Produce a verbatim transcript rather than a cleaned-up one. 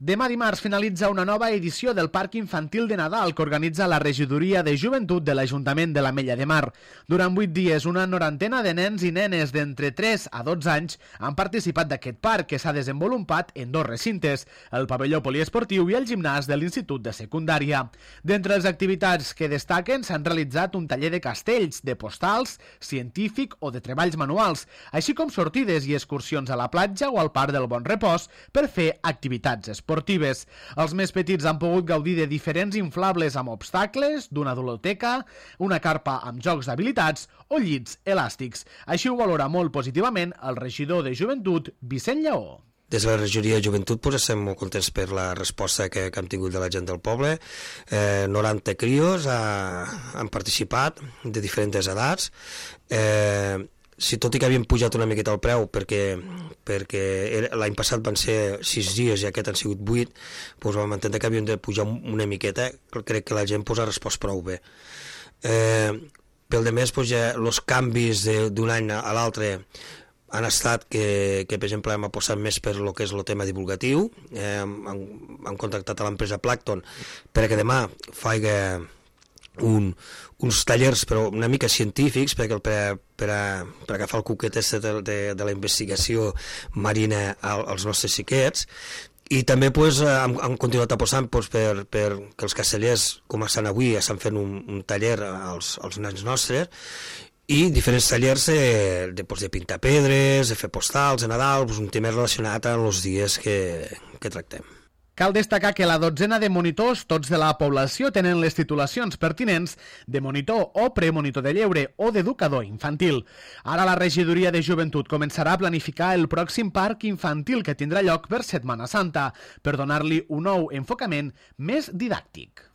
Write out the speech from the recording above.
Demà dimarts finalitza una nova edició del Parc Infantil de Nadal que organitza la Regidoria de Joventut de l'Ajuntament de l'Ametlla de Mar. Durant vuit dies, una norantena de nens i nenes d'entre tres a dotze anys han participat d'aquest parc que s'ha desenvolupat en dos recintes, el pavelló poliesportiu i el gimnàs de l'Institut de Secundària. D'entre les activitats que destaquen s'han realitzat un taller de castells, de postals, científic o de treballs manuals, així com sortides i excursions a la platja o al Parc del Bon Repòs per fer activitats esportives. esportives. Els més petits han pogut gaudir de diferents inflables amb obstacles, d'una ludoteca, una carpa amb jocs d'habilitats o llits elàstics. Així ho valora molt positivament el regidor de Joventut, Vicent Lleó. Des de la regidoria de Joventut pues, estem molt contents per la resposta que, que hem tingut de la gent del poble. Eh, noranta crios ha, han participat de diferents edats. Eh, Si tot i que havien pujat una miqueta el preu perquè, perquè l'any passat van ser sis dies i aquest han sigut vuit, doncs vam entendre que havíem de pujar una miqueta, crec que la gent pues, ha respost prou bé. Eh, pel de més, doncs, ja, els canvis d'un any a l'altre han estat que, que per exemple, hem apostat més per lo que és el tema divulgatiu, eh, hem, hem contactat a l'empresa Plankton perquè demà faig Un, uns tallers però una mica científics perquè per, per, a, per agafar el cuquet de, de, de la investigació marina als nostres xiquets i també pues, hem, hem continuat apostant pues, per, per que els castellers com estan avui estan fent un, un taller als, als nens nostres i diferents tallers de, de, pues, de pintar pedres, de fer postals de Nadal, pues, un tema relacionat amb els dies que, que tractem. Cal destacar que la dotzena de monitors, tots de la població, tenen les titulacions pertinents de monitor o premonitor de lleure o d'educador infantil. Ara la regidoria de Joventut començarà a planificar el pròxim parc infantil que tindrà lloc per Setmana Santa, per donar-li un nou enfocament més didàctic.